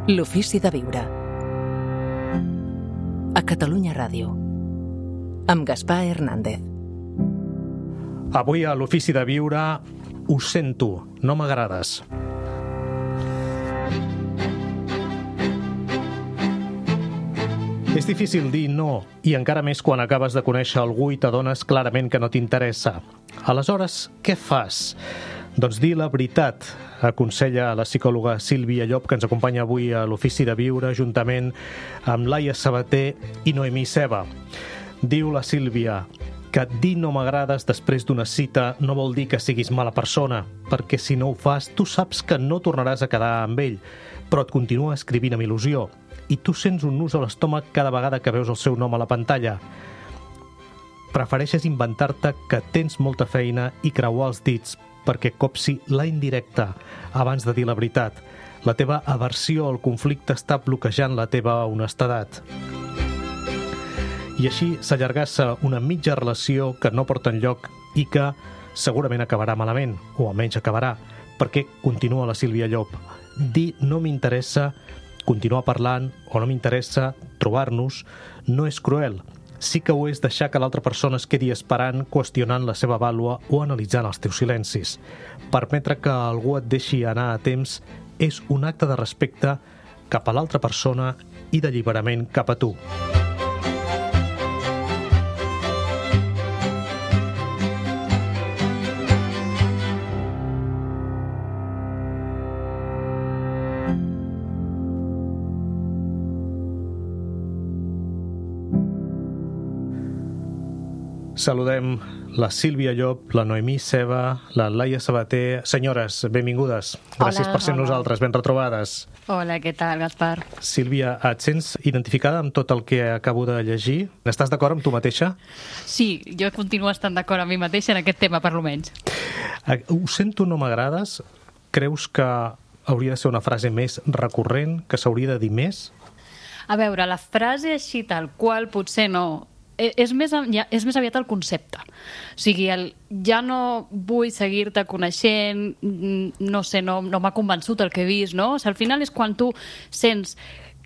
L'ofici de viure. A Catalunya Ràdio. Amb Gaspar Hernández. Avui a l'ofici de viure ho sento, no m'agrades. És difícil dir no, i encara més quan acabes de conèixer algú i t'adones clarament que no t'interessa. Aleshores, què fas? Doncs dir la veritat, aconsella la psicòloga Sílvia Llop, que ens acompanya avui a l'ofici de viure, juntament amb Laia Sabater i Noemí Ceba. Diu la Sílvia que dir no m'agrades després d'una cita no vol dir que siguis mala persona, perquè si no ho fas, tu saps que no tornaràs a quedar amb ell, però et continua escrivint amb il·lusió, i tu sents un nus a l'estómac cada vegada que veus el seu nom a la pantalla. Prefereixes inventar-te que tens molta feina i creuar els dits perquè copsi la indirecta abans de dir la veritat. La teva aversió al conflicte està bloquejant la teva honestedat. I així s'allargassa una mitja relació que no porta enlloc i que segurament acabarà malament, o almenys acabarà, perquè continua la Sílvia Llop. Dir no m'interessa, continuar parlant o no m'interessa, trobar-nos, no és cruel. Sí que ho és deixar que l'altra persona es quedi esperant, qüestionant la seva vàlua o analitzant els teus silencis. Permetre que algú et deixi anar a temps és un acte de respecte cap a l'altra persona i d'alliberament cap a tu. Saludem la Sílvia Llop, la Noemí Ceba, la Laia Sabater. Senyores, benvingudes. Gràcies per ser nosaltres, ben retrobades. Hola, què tal, Gaspar? Sílvia, et sents identificada amb tot el que acabo de llegir? Estàs d'acord amb tu mateixa? Sí, jo continuo estant d'acord amb mi mateixa en aquest tema, per lo menys. Ho sento, no m'agrades? Creus que hauria de ser una frase més recurrent, que s'hauria de dir més? A veure, la frase així tal qual potser no. És més aviat el concepte. O sigui, ja no vull seguir-te coneixent, no sé, no m'ha convençut el que he vist, no? O sigui, al final és quan tu sents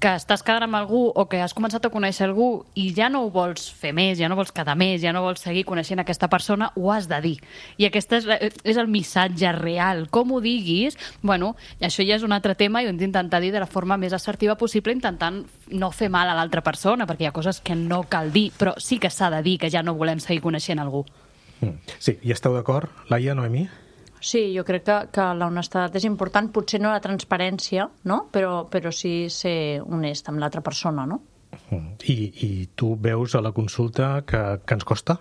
que estàs quedant amb algú o que has començat a conèixer algú i ja no ho vols fer més, ja no vols quedar més, ja no vols seguir coneixent aquesta persona, ho has de dir. I aquest és el missatge real. Com ho diguis, bueno, això ja és un altre tema i ho hem d'intentar dir de la forma més assertiva possible, intentant no fer mal a l'altra persona, perquè hi ha coses que no cal dir, però sí que s'ha de dir que ja no volem seguir coneixent algú. Sí, i esteu d'acord, Laia, Noemí? Sí, jo crec que la honestedat és important, potser no la transparència, no? Però sí ser honest amb l'altra persona, no? I tu veus a la consulta que ens costa?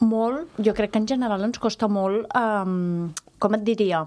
Molt. Jo crec que en general ens costa molt, com et diria,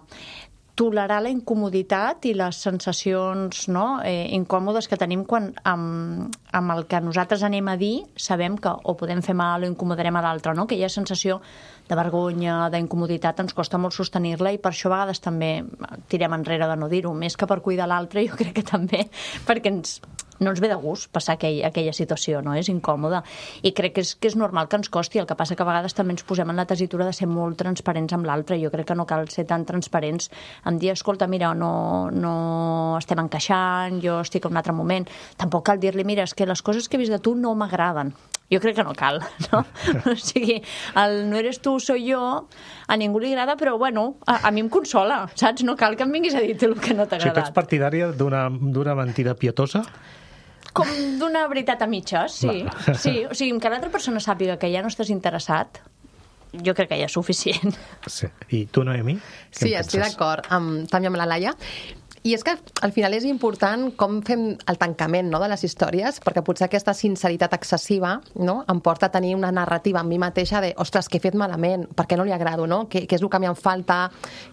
tolerar la incomoditat i les sensacions incòmodes que tenim quan amb el que nosaltres anem a dir sabem que o podem fer mal o incomodarem a l'altre, no? Aquella sensació de vergonya, d'incomoditat, ens costa molt sostenir-la i per això a vegades també tirem enrere de no dir-ho, més que per cuidar l'altre, jo crec que també perquè no ens ve de gust passar aquella situació, no? És incòmode. I crec que és normal que ens costi, el que passa que a vegades també ens posem en la tessitura de ser molt transparents amb l'altre. Jo crec que no cal ser tan transparents en dir, escolta, mira, no estem encaixant, jo estic en un altre moment. Tampoc cal dir-li, mira, és que les coses que he vist de tu no m'agraden. Jo crec que no cal, no? O sigui, el no eres tu, soy yo, a ningú li agrada, però bueno, a mi em consola, saps? No cal que em vinguis a dir el que no t'ha agradat. Si tu ets partidària d'una mentida pietosa? Com d'una veritat a mitges, sí. Sí, o sigui, que l'altra persona sàpiga que ja no estàs interessat, jo crec que ja és suficient. Sí. I tu, Noemí? Sí, estic d'acord també amb la Laia. I és que al final és important com fem el tancament, no, de les històries, perquè potser aquesta sinceritat excessiva, no, em porta a tenir una narrativa amb mi mateixa de, ostres, què he fet malament, per què no li agrado, no? Què és el que m'hi falta,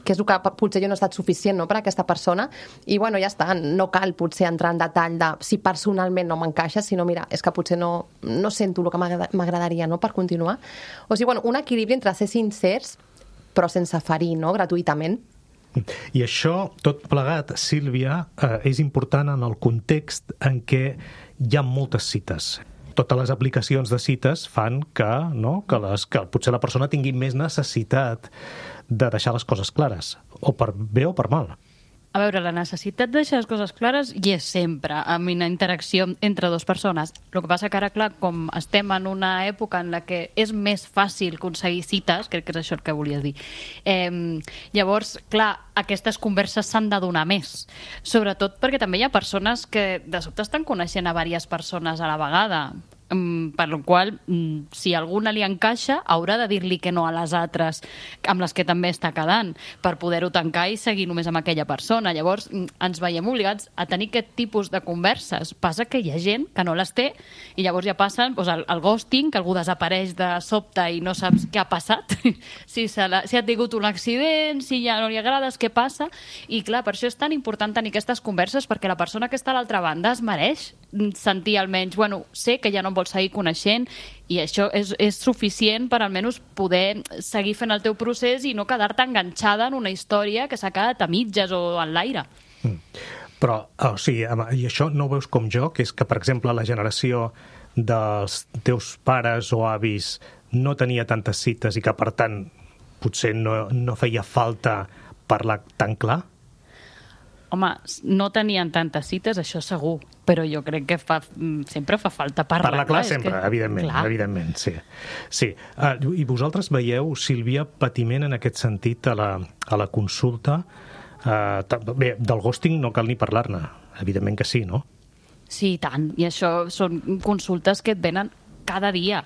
què és el que potser jo no he estat suficient, no, per a aquesta persona. I bueno, ja està, no cal potser entrar en detall de si personalment no m'encaixa, sinó mira, és que potser no sento el que m'agradaria, no, per continuar. O sigui, bueno, un equilibri entre ser sincers però sense ferir, no, gratuïtament. I això, tot plegat, Sílvia, és important en el context en què hi ha moltes cites. Totes les aplicacions de cites fan que potser la persona tingui més necessitat de deixar les coses clares, o per bé o per mal. A veure, la necessitat de deixar les coses clares hi és sempre, amb una interacció entre dues persones. El que passa que ara, clar, com estem en una època en la que és més fàcil aconseguir cites, crec que és això el que volies dir, llavors, clar, aquestes converses s'han de donar més. Sobretot perquè també hi ha persones que de sobte estan coneixent a diverses persones a la vegada, per la qual, si alguna li encaixa, haurà de dir-li que no a les altres amb les que també està quedant, per poder-ho tancar i seguir només amb aquella persona. Llavors, ens veiem obligats a tenir aquest tipus de converses. Passa que hi ha gent que no les té i llavors ja passen el ghosting, que algú desapareix de sobte i no saps què ha passat, si ha tingut un accident, si ja no li agrades, què passa. I clar, per això és tan important tenir aquestes converses, perquè la persona que està a l'altra banda es mereix sentir almenys, bueno, sé que ja no em vols seguir coneixent i això és suficient per almenys poder seguir fent el teu procés i no quedar-te enganxada en una història que s'ha quedat a mitges o en l'aire. Però, o sigui, i això no ho veus com jo, que és que, per exemple, la generació dels teus pares o avis no tenia tantes cites i que, per tant, potser no feia falta parlar tan clar? Home, no tenien tantes cites, això segur, però jo crec que sempre fa falta parlar. Parlar clar sempre, evidentment, sí. Sí. I vosaltres veieu, Sílvia, patiment en aquest sentit a la consulta? Bé, del ghosting no cal ni parlar-ne, evidentment que sí, no? Sí, i tant, i això són consultes que et venen cada dia.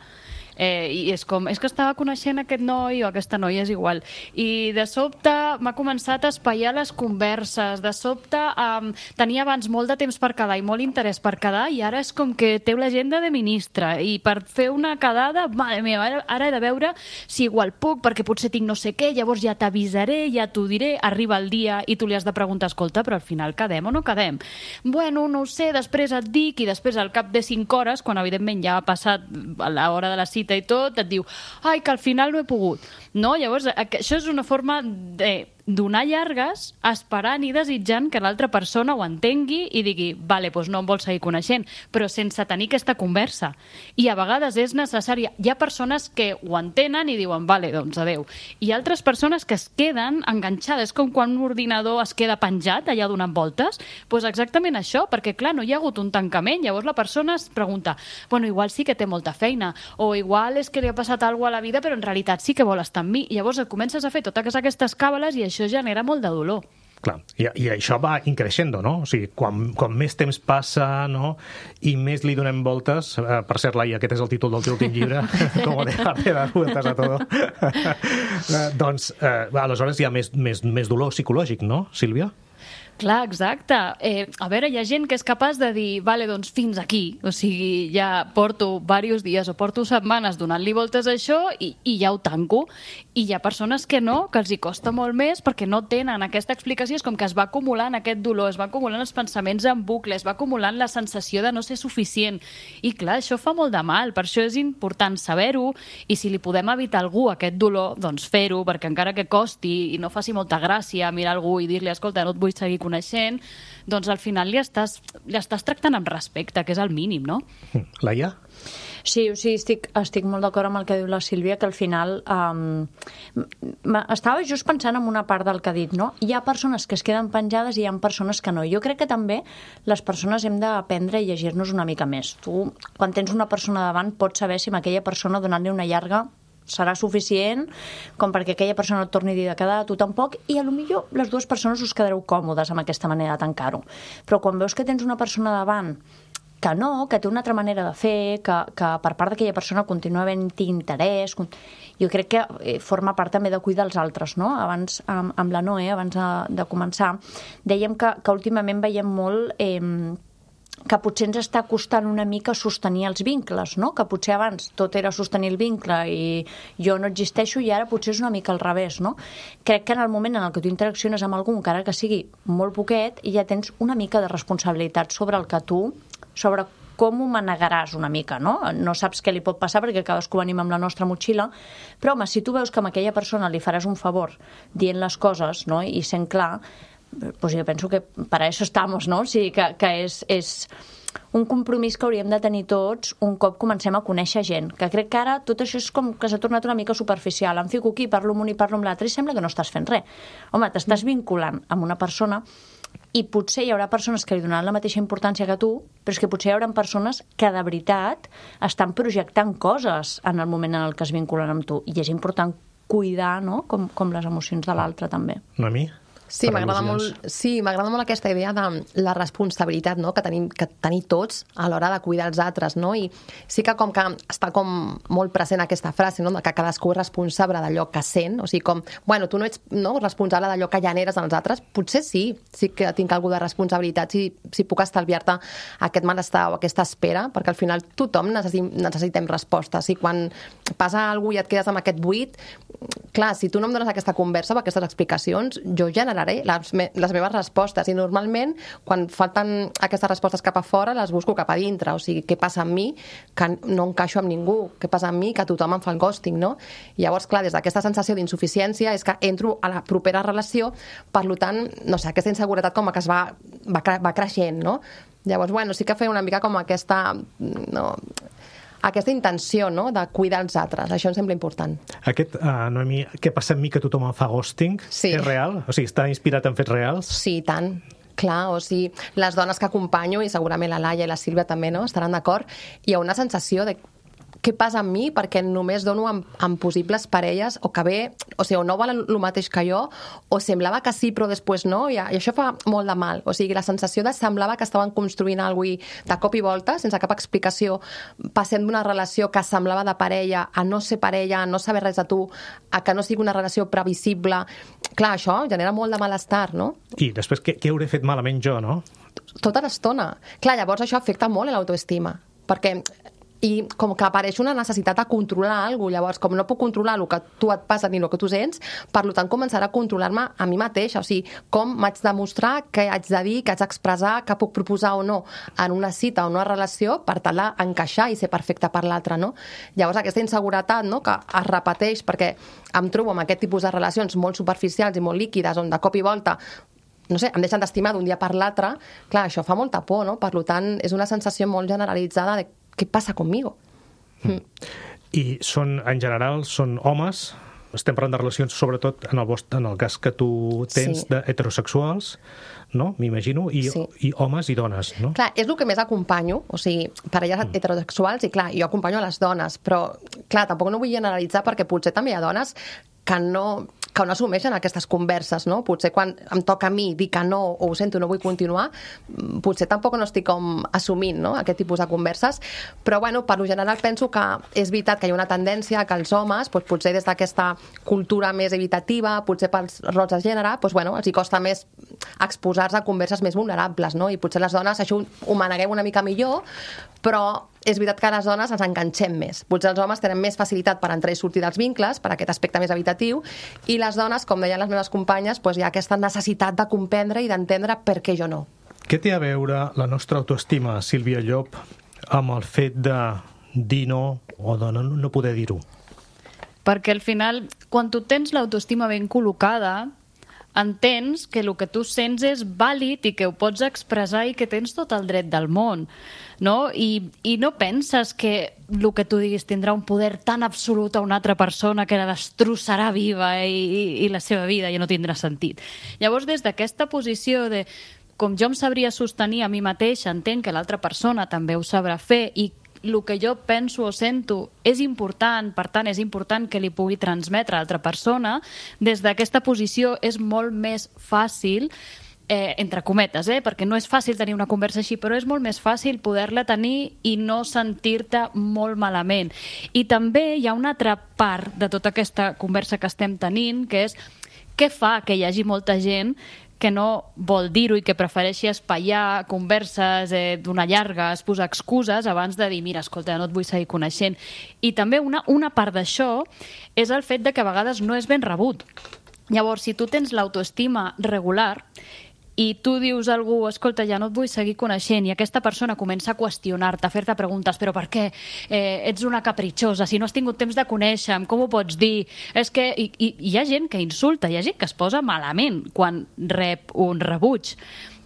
I és que estava coneixent aquest noi o aquesta noia, és igual, i de sobte m'ha començat a espaiar les converses, de sobte tenia abans molt de temps per quedar i molt interès per quedar, i ara és com que té l'agenda de ministre, i per fer una quedada, mare meva, ara he de veure si igual puc, perquè potser tinc no sé què, llavors ja t'avisaré, ja t'ho diré, arriba el dia i tu li has de preguntar, escolta, però al final quedem o no quedem? Bueno, no ho sé, després et dic, i després al cap de 5 hores, quan evidentment ja ha passat l'hora de la cita i tot, et diu, ai, que al final no he pogut. No? Llavors, això és una forma de donar llargues esperant i desitjant que l'altra persona ho entengui i digui, vale, doncs no em vols seguir coneixent, però sense tenir aquesta conversa. I a vegades és necessària. Hi ha persones que ho entenen i diuen, vale, doncs adeu. I altres persones que es queden enganxades, com quan un ordinador es queda penjat allà donant voltes, doncs exactament això, perquè clar, no hi ha hagut un tancament, llavors la persona es pregunta, bueno, igual sí que té molta feina, o igual és que li ha passat alguna cosa a la vida, però en realitat sí que vol estar amb mi. I llavors comences a fer totes aquestes càbales i això genera molt de dolor. Clar, i això va increixendo, no? O sigui, quan més temps passa, no?, i més li donem voltes, per cert, Laia, aquest és el títol del teu últim llibre, com dejarte dar vueltas a todo, doncs, aleshores hi ha més dolor psicològic, no, Sílvia? Clar, exacte. A veure, hi ha gent que és capaç de dir, vale, doncs fins aquí. O sigui, ja porto diversos dies o porto setmanes donant-li voltes a això i ja ho tanco. I hi ha persones que no, que els hi costa molt més perquè no tenen aquesta explicació. És com que es va acumulant aquest dolor, es va acumulant els pensaments en bucle, es va acumulant la sensació de no ser suficient. I clar, això fa molt de mal. Per això és important saber-ho i si li podem evitar a algú aquest dolor, doncs fer-ho, perquè encara que costi i no faci molta gràcia mirar algú i dir-li, escolta, no et vull seguir coneixent, doncs al final li estàs tractant amb respecte, que és el mínim, no? Laia? Sí, o sigui, estic molt d'acord amb el que diu la Sílvia, que al final estava just pensant en una part del que ha dit, no? Hi ha persones que es queden penjades i hi ha persones que no. Jo crec que també les persones hem d'aprendre a llegir-nos una mica més. Tu, quan tens una persona davant, pots saber si amb aquella persona donant-li una llarga serà suficient com perquè aquella persona et torni a dir de quedar, tu tampoc, i potser les dues persones us quedareu còmodes amb aquesta manera de tancar-ho. Però quan veus que tens una persona davant que no, que té una altra manera de fer, que per part d'aquella persona continua havent-hi interès, jo crec que forma part també de cuidar els altres, no? Abans, amb la Noé, abans de començar, dèiem que últimament veiem molt que potser ens està costant una mica sostenir els vincles, no? Que potser abans tot era sostenir el vincle i jo no existeixo i ara potser és una mica al revés, no? Crec que en el moment en el que tu interacciones amb algú, encara que sigui molt poquet, ja tens una mica de responsabilitat sobre com ho manegaràs una mica, no? No saps què li pot passar perquè cadascú venim amb la nostra motxilla, però home, si tu veus que a aquella persona li faràs un favor dient les coses, no?, i sent clar, pues jo penso que para eso estamos, no? O sigui, que és un compromís que hauríem de tenir tots un cop comencem a conèixer gent, que crec que ara tot això és com que s'ha tornat una mica superficial. Em fico aquí, parlo amb un i parlo amb l'altre i sembla que no estàs fent res. Home, t'estàs vinculant amb una persona I potser hi haurà persones que li donaran la mateixa importància que tu, però és que potser hi haurà persones que de veritat estan projectant coses en el moment en el que es vinculen amb tu. I és important cuidar, no?, com les emocions de l'altre, també. Noemí? Sí, m'agrada molt aquesta idea de la responsabilitat, no?, que tenim que tenir tots a l'hora de cuidar els altres, no? I sí que com que està com molt present aquesta frase, no?, que cadascú és responsable d'allò que sent, o sigui, com, bueno, tu no ets responsable d'allò que generes als altres, potser sí que tinc algú de responsabilitat, si puc estalviar-te aquest malestar o aquesta espera, perquè al final tothom necessitem respostes, i quan passa alguna cosa i et quedes amb aquest buit, clar, si tu no em dones aquesta conversa o aquestes explicacions, jo generaré les meves respostes, i normalment quan falten aquestes respostes cap a fora les busco cap a dintre, o sigui, què passa amb mi que no encaixo amb ningú, què passa amb mi que tothom em fa el ghosting, no? I llavors, clar, des d'aquesta sensació d'insuficiència és que entro a la propera relació, per tant, no sé, aquesta inseguretat com que es va creixent, no? Llavors, bueno, sí que feia una mica com aquesta intenció, no?, de cuidar els altres. Això em sembla important. Noemí, què passa amb mi que tothom em fa ghosting? Sí. És real? O sigui, està inspirat en fets reals? Sí, tant. Clar, o sigui, les dones que acompanyo, i segurament la Laia i la Sílvia també, no?, estaran d'acord, hi ha una sensació de què passa amb mi perquè només dono amb possibles parelles o que bé, o sigui, o no volen el mateix que jo, o semblava que sí però després no, i això fa molt de mal. O sigui, la sensació de semblava que estaven construint alguna cosa de cop i volta, sense cap explicació, passem d'una relació que semblava de parella a no ser parella, a no saber res de tu, a que no sigui una relació previsible. Clar, això genera molt de malestar, no? I després, què hauré fet malament jo, no? Tota l'estona. Clar, llavors això afecta molt a l'autoestima, perquè i com que apareix una necessitat de controlar alguna cosa, llavors com no puc controlar el que tu et passa ni el que tu sents, per tant començaré a controlar-me a mi mateixa, o sigui, com m'haig de mostrar, què haig de dir, què haig d'expressar, què puc proposar o no en una cita o una relació per tal d'encaixar i ser perfecte per l'altre, no? Llavors aquesta inseguretat, no?, que es repeteix perquè em trobo amb aquest tipus de relacions molt superficials i molt líquides, on de cop i volta no sé, em deixen d'estimar d'un dia per l'altre, clar, això fa molta por, no? Per tant, és una sensació molt generalitzada de què passa conmigo. I en general, són homes, estem parlant de relacions sobretot en el cas que tu tens d'heterosexuals, no? M'imagino, i homes i dones, no? Clar, és el que més acompanyo, o sigui, parelles heterosexuals, i clar, jo acompanyo a les dones, però clar, tampoc no vull generalitzar perquè potser també hi ha dones que no assumeixen aquestes converses, no? Potser quan em toca a mi dir que no o ho sento, no vull continuar, potser tampoc no estic com assumint, no?, aquest tipus de converses, però bueno, per lo general penso que és veritat que hi ha una tendència que els homes, doncs, potser des d'aquesta cultura més evitativa, potser pels rols de gènere, doncs, bueno, els hi costa més exposar-se a converses més vulnerables, no? I potser les dones això ho maneguem una mica millor, però és veritat que les dones ens enganxem més. Potser els homes tenen més facilitat per entrar i sortir dels vincles, per aquest aspecte més evitatiu, i les dones, com deien les meves companyes, doncs hi ha aquesta necessitat de comprendre i d'entendre per què jo no. Què té a veure la nostra autoestima, Sílvia Llop, amb el fet de dir no o de no poder dir-ho? Perquè al final, quan tu tens l'autoestima ben col·locada, entens que el que tu sents és vàlid i que ho pots expressar i que tens tot el dret del món, no? I no penses que el que tu diguis tindrà un poder tan absolut a una altra persona que la destrossarà viva i la seva vida ja no tindrà sentit. Llavors, des d'aquesta posició de com jo em sabria sostenir a mi mateixa, entenc que l'altra persona també ho sabrà fer i el que jo penso o sento és important, per tant és important que li pugui transmetre a l'altra persona, des d'aquesta posició és molt més fàcil, entre cometes, perquè no és fàcil tenir una conversa així, però és molt més fàcil poder-la tenir i no sentir-te molt malament. I també hi ha una altra part de tota aquesta conversa que estem tenint, que és què fa que hi hagi molta gent que no vol dir-ho i que prefereixi espaiar converses, donar llargues, posar excuses abans de dir, mira, escolta, no et vull seguir coneixent. I també una part d'això és el fet de que a vegades no és ben rebut. Llavors, si tu tens l'autoestima regular i tu dius a algú, escolta, ja no et vull seguir coneixent, i aquesta persona comença a qüestionar-te, a fer-te preguntes, però per què? Ets una capritxosa, si no has tingut temps de conèixer-me, com ho pots dir? És que hi ha gent que insulta, hi ha gent que es posa malament quan rep un rebuig.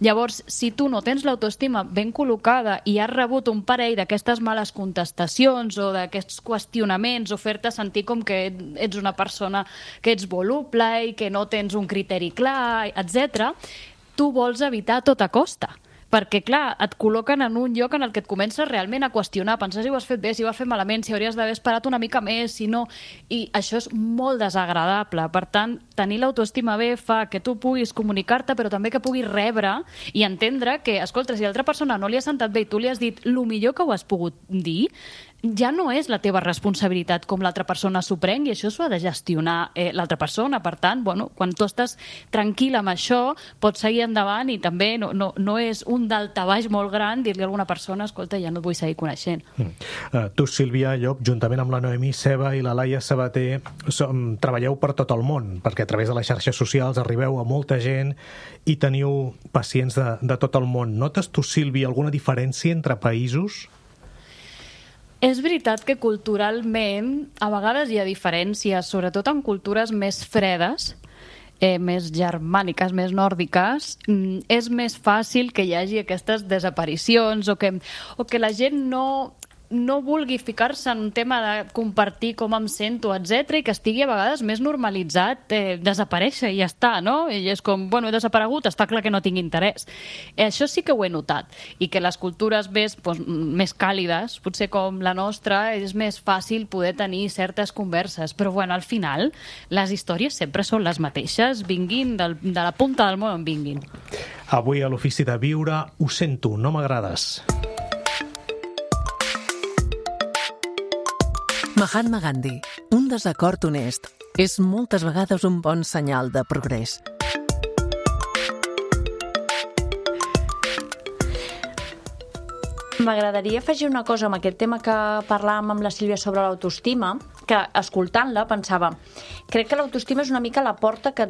Llavors, si tu no tens l'autoestima ben col·locada i has rebut un parell d'aquestes males contestacions o d'aquests qüestionaments o fer-te sentir com que ets una persona que ets voluble i que no tens un criteri clar, etc., tu vols evitar a tota costa. Perquè, clar, et col·loquen en un lloc en el que et comences realment a qüestionar, pensar si ho has fet bé, si ho has fet malament, si hauries d'haver esperat una mica més, si no... I això és molt desagradable. Per tant, tenir l'autoestima bé fa que tu puguis comunicar-te, però també que puguis rebre i entendre que, escolta, si l'altra persona no li ha sentat bé i tu li has dit el millor que ho has pogut dir, ja no és la teva responsabilitat com l'altra persona s'ho pren, i això s'ho ha de gestionar l'altra persona. Per tant, bueno, quan tu estàs tranquil amb això, pots seguir endavant, i també no és un daltabaix molt gran dir-li a alguna persona, escolta, ja no et vull seguir coneixent. Tu, Sílvia Llop, juntament amb la Noemí Ceba i la Laia Sabater, treballeu per tot el món, perquè a través de les xarxes socials arribeu a molta gent i teniu pacients de tot el món. Notes tu, Sílvia, alguna diferència entre països? És veritat que culturalment a vegades hi ha diferències, sobretot en cultures més fredes, més germàniques, més nòrdiques. És més fàcil que hi hagi aquestes desaparicions o que la gent no vulgui ficar-se en un tema de compartir com em sento, etc, i que estigui a vegades més normalitzat desaparèixer i ja està, no? I és com, bueno, he desaparegut, està clar que no tinc interès. Això sí que ho he notat, i que les cultures més càlides, potser com la nostra, és més fàcil poder tenir certes converses, però bueno, al final les històries sempre són les mateixes, vinguin de la punta del món on vinguin. Avui a l'Ofici de Viure, ho sento, no m'agrades. Mahatma Gandhi. Un desacord honest és moltes vegades un bon senyal de progrés. M'agradaria afegir una cosa amb aquest tema que parlàvem amb la Sílvia sobre l'autoestima, que escoltant-la pensava, crec que l'autoestima és una mica la porta que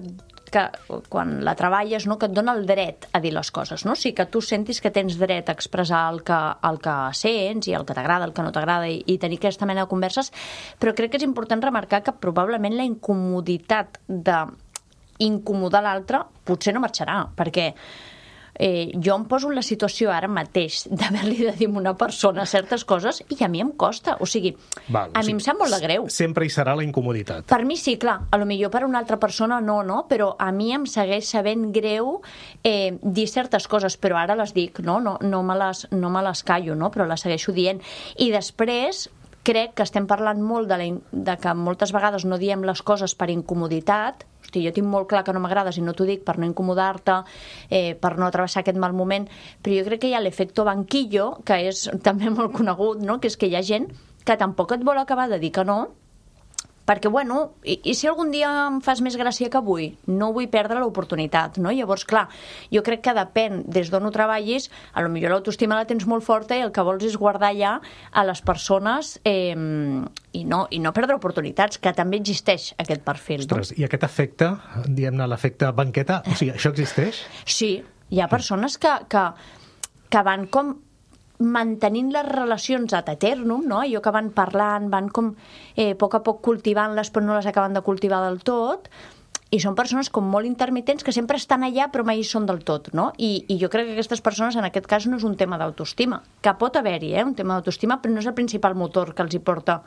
quan la treballes, no, que et dona el dret a dir les coses, no? O sigui, que tu sentis que tens dret a expressar el que sents i el que t'agrada, el que no t'agrada, i tenir aquesta mena de converses, però crec que és important remarcar que probablement la incomoditat d'incomodar l'altre potser no marxarà, perquè jo em poso en la situació ara mateix d'haver-li de dir a una persona certes coses i a mi em costa, o sigui, a mi em sap molt de greu. Sempre hi serà la incomoditat. Per mi sí, clar, a lo millor per una altra persona no, però a mi em segueix sabent greu dir certes coses, però ara les dic, no me les callo, no? Però les segueixo dient. I després crec que estem parlant molt de que moltes vegades no diem les coses per incomoditat. Hosti, jo tinc molt clar que no m'agrades i no t'ho dic per no incomodar-te, per no travessar aquest mal moment, però jo crec que hi ha l'efecto banquillo, que és també molt conegut, no? Que és que hi ha gent que tampoc et vol acabar de dir que no, perquè, bueno, i si algun dia em fas més gràcia que avui? No vull perdre l'oportunitat, no? Llavors, clar, jo crec que depèn des d'on ho treballis, a lo millor l'autoestima la tens molt forta i el que vols és guardar ja a les persones i no perdre oportunitats, que també existeix aquest perfil. Ostres, no? I aquest efecte, diguem-ne, l'efecte banqueta, o sigui, això existeix? Sí, hi ha persones que van com mantenint les relacions ad eternum, no? Allò que van parlant, van com a poc cultivant-les, però no les acaben de cultivar del tot, i són persones com molt intermitents que sempre estan allà però mai hi són del tot, no? I jo crec que aquestes persones en aquest cas no és un tema d'autoestima, que pot haver-hi, un tema d'autoestima, però no és el principal motor que els hi porta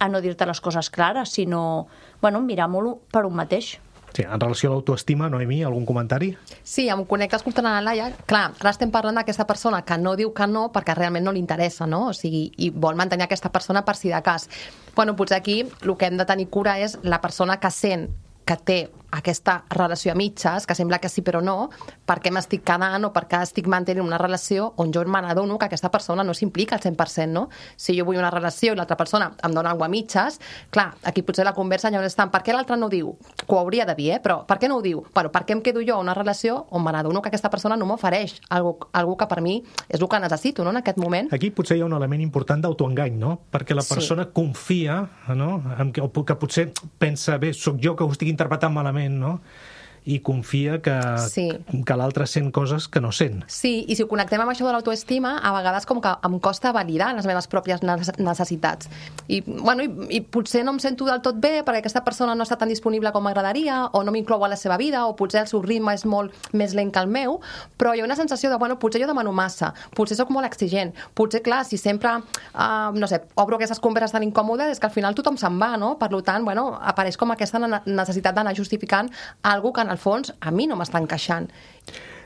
a no dir-te les coses clares, sinó, bueno, mirar-m'ho per un mateix. Sí, en relació a l'autoestima, Noemí, algun comentari? Sí, em connecta escoltant a la Laia. Clar, ara estem parlant d'aquesta persona que no diu que no perquè realment no li interessa, no? O sigui, i vol mantenir aquesta persona per si de cas. Bueno, potser aquí el que hem de tenir cura és la persona que sent que té aquesta relació a mitges, que sembla que sí però no, per què m'estic quedant o per què estic mantenint una relació on jo me n'adono que aquesta persona no s'implica al 100%, no? Si jo vull una relació i l'altra persona em dona alguna cosa a mitges, clar, aquí potser la conversa ja no és tant per què l'altre no ho diu, que ho hauria de dir, però per què no ho diu? Bueno, per què em quedo jo a una relació on me n'adono que aquesta persona no m'ofereix algo que per mi és el que necessito, no?, en aquest moment. Aquí potser hi ha un element important d'autoengany, no? Perquè la persona confia, no?, que potser pensa, bé, sóc jo que ho estic interpretant malament, no? I confia que l'altre sent coses que no sent. Sí, i si ho connectem amb això de l'autoestima, a vegades com que em costa validar les meves pròpies necessitats. I potser no em sento del tot bé perquè aquesta persona no està tan disponible com m'agradaria, o no m'inclou a la seva vida, o potser el seu ritme és molt més lent que el meu, però hi ha una sensació de, bueno, potser jo demano massa, potser sóc molt exigent, potser, clar, si sempre, no sé, obro aquestes converses tan incòmodes, és que al final tothom se'n va, no? Per tant, bueno, apareix com aquesta necessitat d'anar justificant alguna que en el fons a mi no m'està encaixant.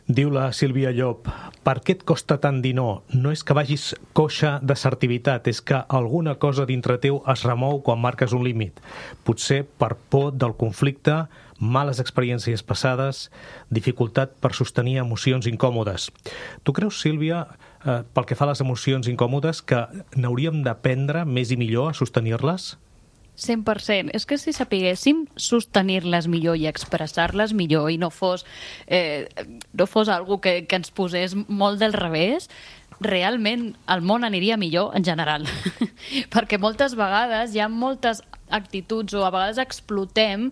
Diu la Sílvia Llop, per què et costa tant dir no? No és que vagis coixa d'assertivitat, és que alguna cosa dintre teu es remou quan marques un límit. Potser per por del conflicte, males experiències passades, dificultat per sostenir emocions incòmodes. Tu creus, Sílvia, pel que fa a les emocions incòmodes, que n'hauríem d'aprendre més i millor a sostenir-les? 100%. És que si sapiguéssim sostenir-les millor i expressar-les millor i no fos algo que ens posés molt del revés, realment el món aniria millor en general. Perquè moltes vegades hi ha moltes actituds o a vegades explotem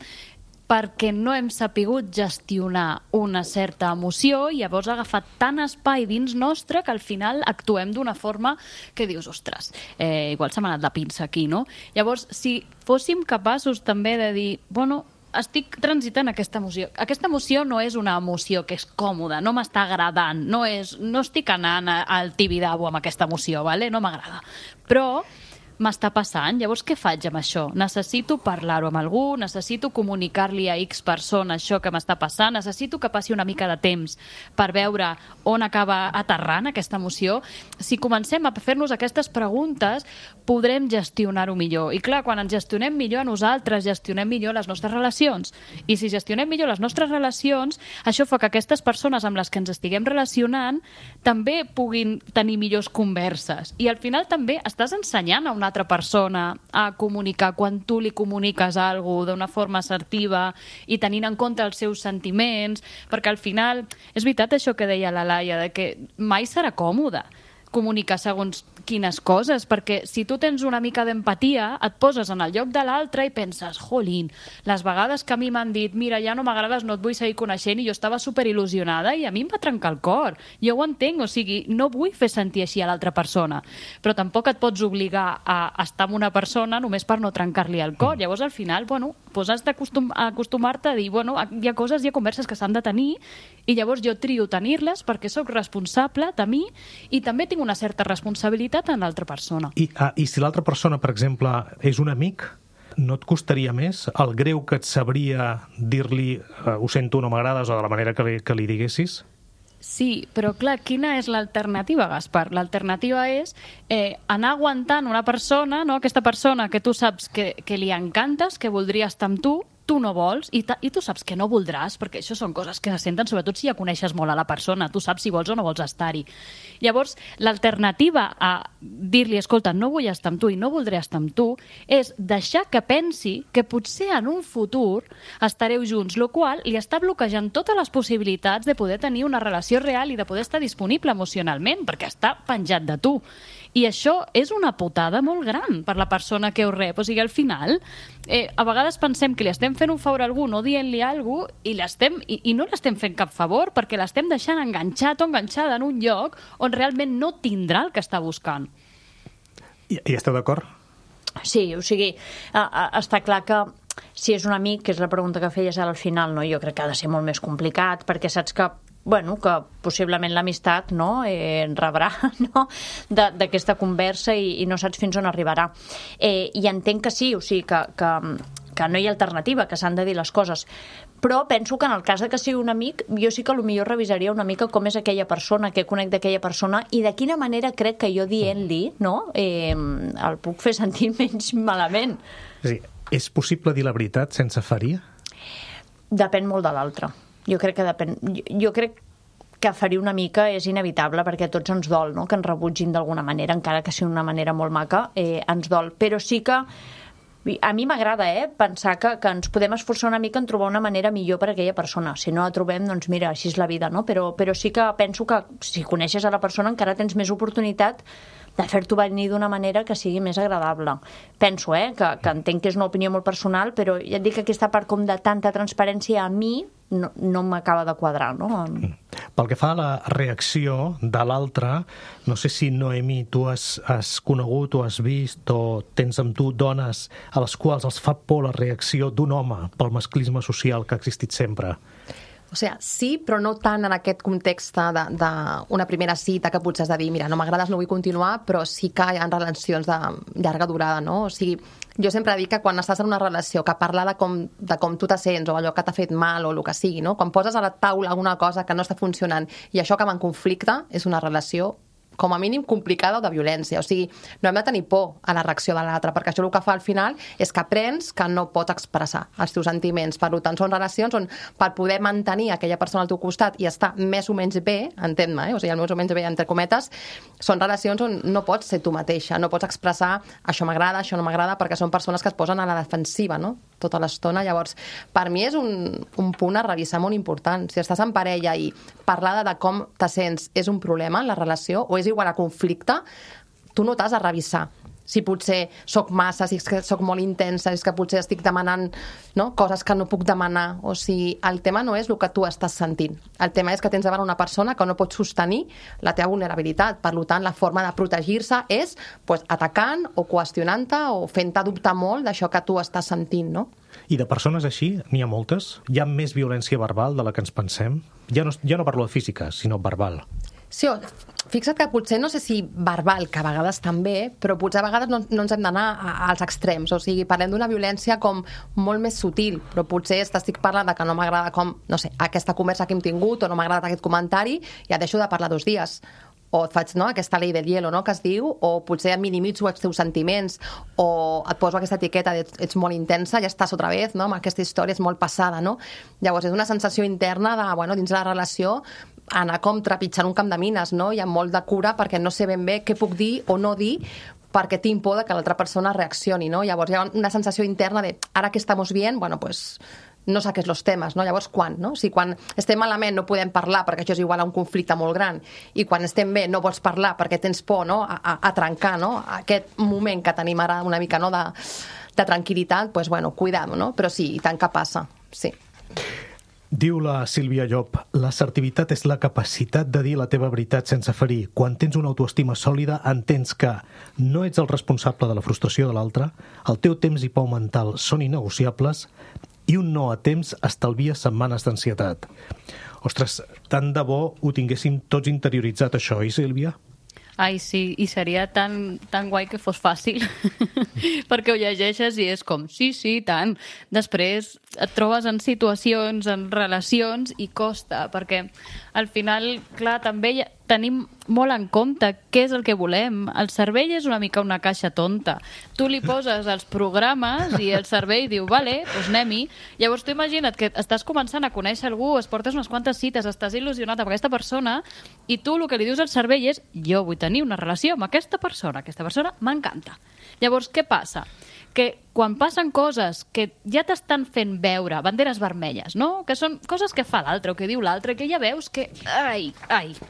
perquè no hem sapigut gestionar una certa emoció i llavors ha agafat tant espai dins nostre que al final actuem d'una forma que dius, ostres, igual s'ha anat la pinça aquí, no? Llavors, si fóssim capaços també de dir, bueno, estic transitant aquesta emoció. Aquesta emoció no és una emoció que és còmoda, no m'està agradant, no estic anant al Tibidabo amb aquesta emoció, ¿vale? No m'agrada. Però m'està passant, llavors què faig amb això? Necessito parlar-ho amb algú, necessito comunicar-li a X persona això que m'està passant, necessito que passi una mica de temps per veure on acaba aterrant aquesta emoció. Si comencem a fer-nos aquestes preguntes, podrem gestionar-ho millor. I clar, quan ens gestionem millor a nosaltres, gestionem millor les nostres relacions. I si gestionem millor les nostres relacions, això fa que aquestes persones amb les que ens estiguem relacionant també puguin tenir millors converses. I al final també estàs ensenyant a una altra persona a comunicar quan tu li comuniques alguna cosa d'una forma assertiva i tenint en compte els seus sentiments, perquè al final és veritat això que deia la Laia, de que mai serà còmode comunicar segons quines coses, perquè si tu tens una mica d'empatia, et poses en el lloc de l'altre i penses, jolín, les vegades que a mi m'han dit, mira, ja no m'agrades, no et vull seguir coneixent, i jo estava superil·lusionada i a mi em va trencar el cor. Jo ho entenc, o sigui, no vull fer sentir així a l'altra persona, però tampoc et pots obligar a estar amb una persona només per no trencar-li el cor. Llavors, al final, bueno, pues has d'acostumar-te a dir, bueno, hi ha coses, hi ha converses que s'han de tenir, i llavors jo trio tenir-les perquè sóc responsable de mi i també tinc una certa responsabilitat en l'altra persona. I si l'altra persona, per exemple, és un amic, no et costaria més el greu que et sabria dir-li ho sento, no m'agrades, o de la manera que li diguessis? Sí, però clar, quina és l'alternativa, Gaspar? L'alternativa és anar aguantant una persona, no? Aquesta persona que tu saps que li encantes, que voldria estar amb tu no vols, i tu saps que no voldràs, perquè això són coses que se senten, sobretot si ja coneixes molt a la persona, tu saps si vols o no vols estar-hi. Llavors, l'alternativa a dir-li, escolta, no vull estar amb tu i no voldré estar amb tu, és deixar que pensi que potser en un futur estareu junts, el qual li està bloquejant totes les possibilitats de poder tenir una relació real i de poder estar disponible emocionalment, perquè està penjat de tu. I això és una putada molt gran per la persona que ho rep. O sigui, al final, a vegades pensem que li estem fent un favor a algú no dient-li alguna cosa i no l'estem fent cap favor perquè l'estem deixant enganxat o enganxada en un lloc on realment no tindrà el que està buscant. I esteu d'acord? Sí, o sigui, està clar que si és un amic, que és la pregunta que feies al final, no? Jo crec que ha de ser molt més complicat perquè saps que que possiblement l'amistat rebrà d'aquesta conversa i no saps fins on arribarà. I entenc que sí, o sigui, que no hi ha alternativa, que s'han de dir les coses. Però penso que en el cas de que sigui un amic, jo sí que potser revisaria una mica com és aquella persona, què conec d'aquella persona i de quina manera crec que jo dient-li el puc fer sentir menys malament. És possible dir la veritat sense ferir? Depèn molt de l'altre. Jo crec que depèn. Jo crec que ferir una mica és inevitable perquè a tots ens dol, no? Que ens rebutgin d'alguna manera, encara que sigui d'una manera molt maca, ens dol. Però sí que a mi m'agrada pensar que ens podem esforçar una mica en trobar una manera millor per a aquella persona. Si no la trobem, doncs mira, així és la vida, no? Però sí que penso que si coneixes a la persona encara tens més oportunitat de fer-t'ho venir d'una manera que sigui més agradable. Penso, que entenc que és una opinió molt personal, però ja et dic que aquesta part com de tanta transparència a mi no m'acaba de quadrar, no? Pel que fa a la reacció de l'altre, no sé si, Noemí, tu has conegut o has vist o tens amb tu dones a les quals els fa por la reacció d'un home pel masclisme social que ha existit sempre. O sigui, sí, però no tant en aquest context d'una primera cita que potser has de dir, mira, no m'agrades, no vull continuar, però sí que hi ha relacions de llarga durada, no? O sigui, jo sempre dic que quan estàs en una relació que parla de com tu te sents o allò que t'ha fet mal o el que sigui, no? Quan poses a la taula alguna cosa que no està funcionant i això acaba en conflicte, és una relació com a mínim complicada o de violència. O sigui, no hem de tenir por a la reacció de l'altre, perquè això el que fa al final és que aprens que no pots expressar els teus sentiments. Per tant, són relacions on per poder mantenir aquella persona al teu costat i estar més o menys bé, entén-me, o sigui, el més o menys bé, entre cometes, són relacions on no pots ser tu mateixa, no pots expressar això m'agrada, això no m'agrada, perquè són persones que es posen a la defensiva, no?, tota l'estona. Llavors, per mi és un punt a revisar molt important. Si estàs en parella i parlar de com te sents és un problema en la relació o és igual a conflicte, tu no t'has de revisar. Si potser soc massa, si és que soc molt intensa, si és que potser estic demanant, no?, coses que no puc demanar. O sigui, el tema no és el que tu estàs sentint. El tema és que tens davant una persona que no pot sostenir la teva vulnerabilitat. Per tant, la forma de protegir-se és atacant o qüestionant-te o fent-te dubtar molt d'això que tu estàs sentint, no? I de persones així, n'hi ha moltes? Hi ha més violència verbal de la que ens pensem? Ja no parlo de física, sinó verbal. Sí, fixa't que potser no sé si verbal, que a vegades també, però potser a vegades no ens hem d'anar als extrems. O sigui, parlem d'una violència com molt més sutil, però potser t'estic parlant de que no m'agrada com, no sé, aquesta conversa que hem tingut o no m'ha agradat aquest comentari, ja deixo de parlar 2 dies. O et faig, no?, aquesta llei del hielo, no?, que es diu, o potser minimitzo els teus sentiments, o et poso aquesta etiqueta de ets molt intensa, ja estàs otra vez, no?, amb aquesta història és molt passada, no? Llavors és una sensació interna de, dins de la relació, anar com trepitjant un camp de mines, no? Hi ha molt de cura perquè no sé ben bé què puc dir o no dir perquè tinc por de que l'altra persona reaccioni, no? Llavors hi ha una sensació interna de ara que estamos bien, pues no saques los temes, no? Llavors quan, no? Si quan estem malament no podem parlar perquè això és igual a un conflicte molt gran i quan estem bé no vols parlar perquè tens por, no?, a trencar, no?, aquest moment que tenim ara una mica, no?, de tranquil·litat, cuidado, no? Però sí, i tant que passa, sí. Diu la Sílvia Llop, l'assertivitat és la capacitat de dir la teva veritat sense ferir. Quan tens una autoestima sòlida, entens que no ets el responsable de la frustració de l'altre, el teu temps i pau mental són innegociables i un no a temps estalvia setmanes d'ansietat. Ostres, tant de bo ho tinguéssim tots interioritzat, això, Sílvia? Ai, sí, i seria tan guai que fos fàcil, perquè ho llegeixes i és com, sí, tant. Després et trobes en situacions, en relacions, i costa, perquè al final, clar, també tenim molt en compte què és el que volem. El cervell és una mica una caixa tonta. Tu li poses els programes i el cervell diu, vale, doncs anem-hi. Llavors tu imagina't que estàs començant a conèixer algú, es portes unes quantes cites, estàs il·lusionat amb aquesta persona i tu el que li dius al cervell és jo vull tenir una relació amb aquesta persona m'encanta. Llavors, què passa? Que quan passen coses que ja t'estan fent veure banderes vermelles, no?, que són coses que fa l'altre o que diu l'altre, que ja veus que,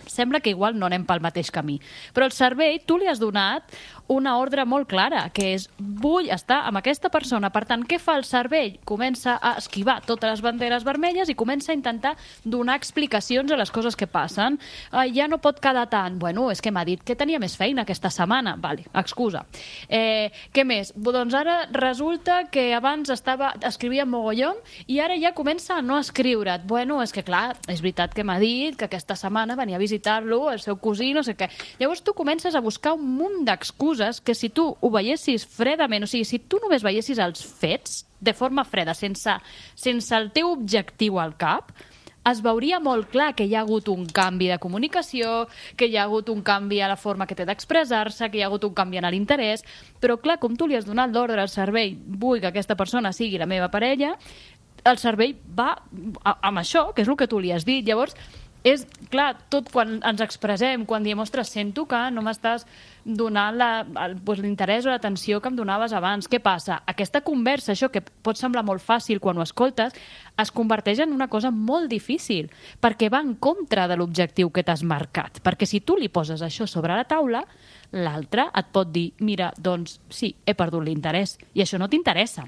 sembla que igual no anem pel mateix camí. Però el cervell, tu li has donat una ordre molt clara, que és vull estar amb aquesta persona. Per tant, què fa el cervell? Comença a esquivar totes les banderes vermelles i comença a intentar donar explicacions a les coses que passen. Ja no pot quedar tant. Bueno, és que m'ha dit que tenia més feina aquesta setmana. Vale, excusa. Què més? Doncs ara resulta que abans escrivia mogollon i ara ja comença a no escriure't. Bueno, és que clar, és veritat que m'ha dit que aquesta setmana venia a visitar-lo, el seu cosí, no sé què. Llavors tu comences a buscar un munt d'excuses que si tu ho veiessis fredament, o sigui, si tu només veiessis els fets de forma freda, sense el teu objectiu al cap, es veuria molt clar que hi ha hagut un canvi de comunicació, que hi ha hagut un canvi a la forma que té d'expressar-se, que hi ha hagut un canvi en l'interès, però clar, com tu li has donat l'ordre al cervell, vull que aquesta persona sigui la meva parella, el cervell va amb això, que és el que tu li has dit. Llavors, és clar, tot quan ens expressem, quan diem, ostres, sento que no m'estàs donant l'interès o l'atenció que em donaves abans. Què passa? Aquesta conversa, això que pot semblar molt fàcil quan ho escoltes, es converteix en una cosa molt difícil, perquè va en contra de l'objectiu que t'has marcat. Perquè si tu li poses això sobre la taula, l'altre et pot dir, mira, doncs sí, he perdut l'interès, i això no t'interessa.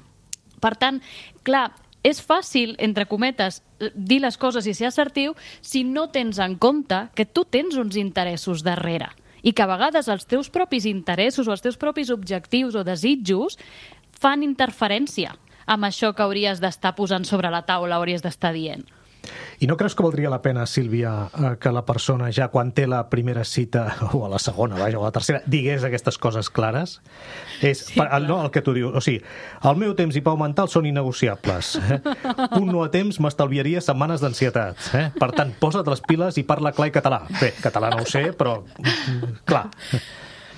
Per tant, clar, és fàcil, entre cometes, dir les coses i ser assertiu si no tens en compte que tu tens uns interessos darrere i que a vegades els teus propis interessos o els teus propis objectius o desitjos fan interferència amb això que hauries d'estar posant sobre la taula, hauries d'estar dient. I no creus que valdria la pena, Sílvia, que la persona ja quan té la primera cita, o a la segona, vaja, o a la tercera, digués aquestes coses clares? No, el que tu dius. O sigui, el meu temps i pau mental són innegociables. Un no a temps m'estalviaria setmanes d'ansietat. Per tant, posa't les piles i parla clar i català. Bé, català no ho sé, però clar.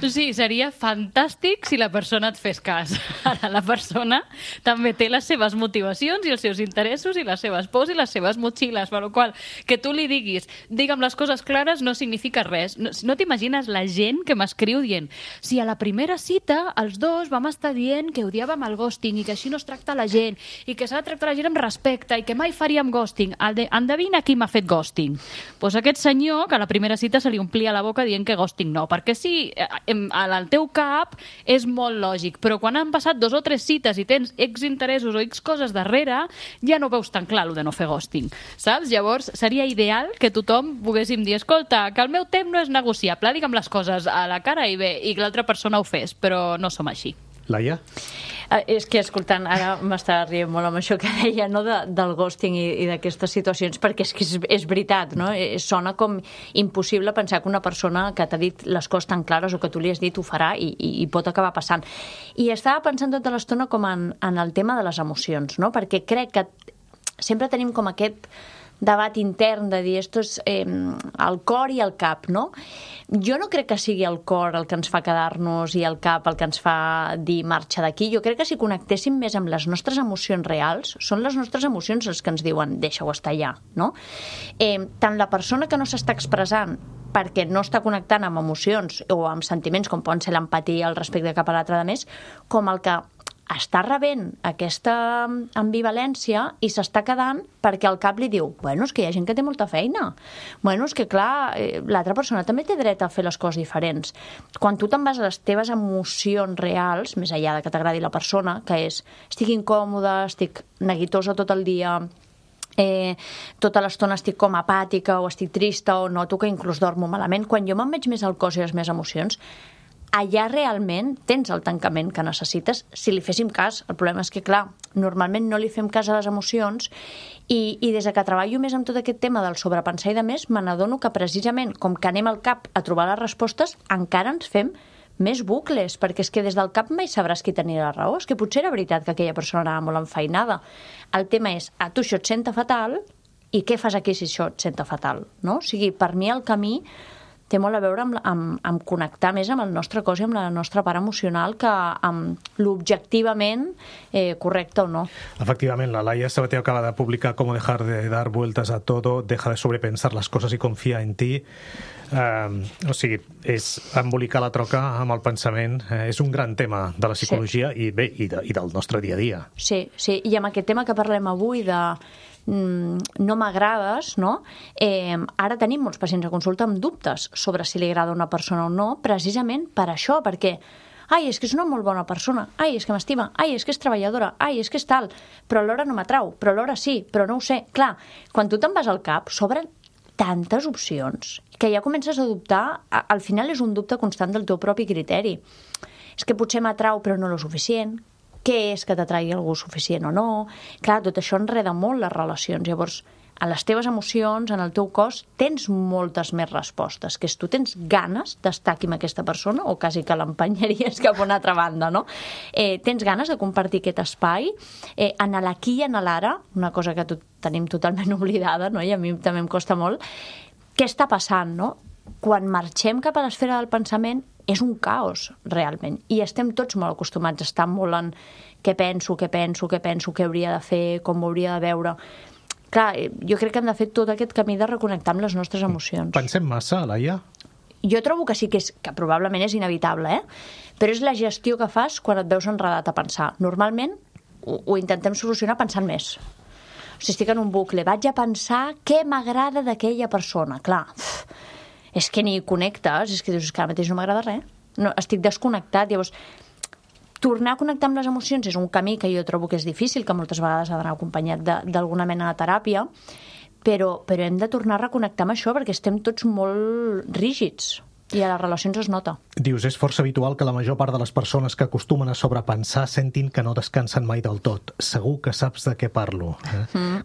Sí, seria fantàstic si la persona et fes cas. Ara, la persona també té les seves motivacions i els seus interessos i les seves pors i les seves motxilles, per la qual que tu li diguis, digue'm les coses clares, no significa res. No t'imagines la gent que m'escriu dient si a la primera cita els dos vam estar dient que odiàvem el ghosting i que així no es tracta la gent i que s'ha de tractar la gent amb respecte i que mai faríem ghosting. Endevina qui m'ha fet ghosting? Doncs aquest senyor que a la primera cita se li omplia la boca dient que ghosting no, perquè sí, al teu cap és molt lògic, però quan han passat 2 o 3 cites i tens X interessos o X coses darrere, ja no veus tan clar el de no fer ghosting, saps? Llavors seria ideal que tothom poguéssim dir, escolta, que el meu temps no és negociable, digue'm les coses a la cara i bé, i que l'altra persona ho fes, però no som així. Laia? És que escoltant, ara m'estava rient molt amb això que deia, no, del ghosting i d'aquestes situacions, perquè és que és veritat, no? Sona com impossible pensar que una persona que t'ha dit les coses tan clares o que tu li has dit ho farà i pot acabar passant. I estava pensant tota l'estona com en el tema de les emocions, no? Perquè crec que sempre tenim com aquest debat intern de dir esto és el cor i el cap, no? Jo no crec que sigui el cor el que ens fa quedar-nos i el cap el que ens fa dir marxa d'aquí. Jo crec que si connectéssim més amb les nostres emocions reals, són les nostres emocions les que ens diuen deixa-ho estar allà, no? Tant la persona que no s'està expressant perquè no està connectant amb emocions o amb sentiments com poden ser l'empatia, el respecte cap a l'altre de més, com el que està rebent aquesta ambivalència i s'està quedant perquè el cap li diu, bueno, és que hi ha gent que té molta feina. Bueno, és que clar, l'altra persona també té dret a fer les coses diferents. Quan tu te'n vas a les teves emocions reals, més enllà de que t'agradi la persona, que és, estic incòmoda, estic neguitosa tot el dia, tota l'estona estic com apàtica o estic trista o noto que inclús dormo malament, quan jo me'n veig més al cos i les meves emocions, allà realment tens el tancament que necessites si li féssim cas. El problema és que, clar, normalment no li fem cas a les emocions i des que treballo més amb tot aquest tema del sobrepensar i de més, me n'adono que precisament com que anem al cap a trobar les respostes, encara ens fem més bucles, perquè és que des del cap mai sabràs qui tenia la raó. És que potser era veritat que aquella persona anava molt enfeinada. El tema és, a tu això et senta fatal i què fas aquí si això et senta fatal, no? O sigui, per mi el camí té molt a veure amb connectar més amb el nostre cos i amb la nostra part emocional que amb l'objectivament correcte o no. Efectivament, la Laia Sabater acaba de publicar Cómo dejar de dar vueltas a todo, deja de sobrepensar las cosas y confía en ti. O sigui, és embolicar la troca amb el pensament. És un gran tema de la psicologia i bé, i del nostre dia a dia. Sí, i amb aquest tema que parlem avui de no m'agrades, no? Ara tenim molts pacients a consulta amb dubtes sobre si li agrada una persona o no, precisament per això, perquè ai, és que és una molt bona persona, ai, és que m'estima, ai, és que és treballadora, ai, és que és tal, però alhora no m'atrau, però alhora sí, però no ho sé. Clar, quan tu te'n vas al cap, s'obren tantes opcions que ja comences a dubtar, al final és un dubte constant del teu propi criteri. És que potser m'atrau però no lo suficient, què és que t'atraigui algú suficient o no. Clar, tot això enreda molt les relacions. Llavors, a les teves emocions, en el teu cos, tens moltes més respostes, que és tu tens ganes d'estar aquí amb aquesta persona o quasi que l'empenyaries cap a una altra banda, no? Tens ganes de compartir aquest espai en l'aquí i en l'ara, una cosa que tenim totalment oblidada, no? I a mi també em costa molt. Què està passant, no? Quan marxem cap a l'esfera del pensament és un caos, realment. I estem tots molt acostumats a estar molt en què penso, què hauria de fer, com ho hauria de veure. Clar, jo crec que hem de fer tot aquest camí de reconnectar amb les nostres emocions. Pensem massa, Laia? Jo trobo que sí que probablement és inevitable, però és la gestió que fas quan et veus enredat a pensar. Normalment ho intentem solucionar pensant més. O sigui, estic en un bucle, vaig a pensar què m'agrada d'aquella persona. Clar, és que ni connectes, és que dius que ara mateix no m'agrada res. No, estic desconnectat. Llavors, tornar a connectar amb les emocions és un camí que jo trobo que és difícil, que moltes vegades ha d'anar acompanyat d'alguna mena de teràpia, però hem de tornar a reconnectar amb això perquè estem tots molt rígids. I a les relacions es nota. Dius, és força habitual que la major part de les persones que acostumen a sobrepensar sentin que no descansen mai del tot. Segur que saps de què parlo.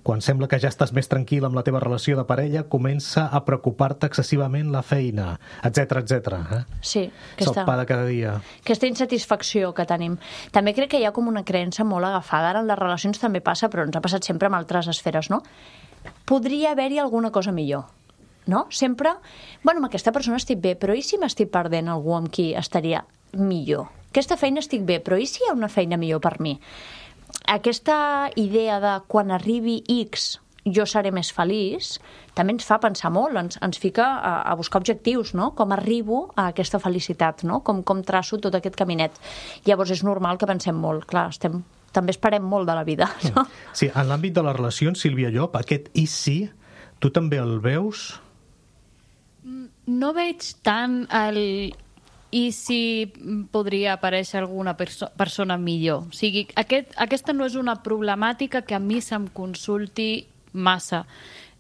Quan sembla que ja estàs més tranquil amb la teva relació de parella, comença a preocupar-te excessivament la feina, etc etc. Sí. És el pa de cada dia. Aquesta insatisfacció que tenim. També crec que hi ha com una creença molt agafada. Ara en les relacions també passa, però ens ha passat sempre en altres esferes, no? Podria haver-hi alguna cosa millor. No? Sempre, bueno, amb aquesta persona estic bé, però i si m'estic perdent algú amb qui estaria millor? Aquesta feina estic bé, però i si hi ha una feina millor per mi? Aquesta idea de quan arribi X jo seré més feliç, també ens fa pensar molt, ens fica a buscar objectius, no? Com arribo a aquesta felicitat, no? Com traço tot aquest caminet. Llavors és normal que pensem molt, clar, també esperem molt de la vida, no? Sí, en l'àmbit de les relacions, Sílvia Llop, aquest i si, tu també el veus? No veig tant el i si podria aparèixer alguna persona millor. O sigui, aquesta no és una problemàtica que a mi se'm consulti massa.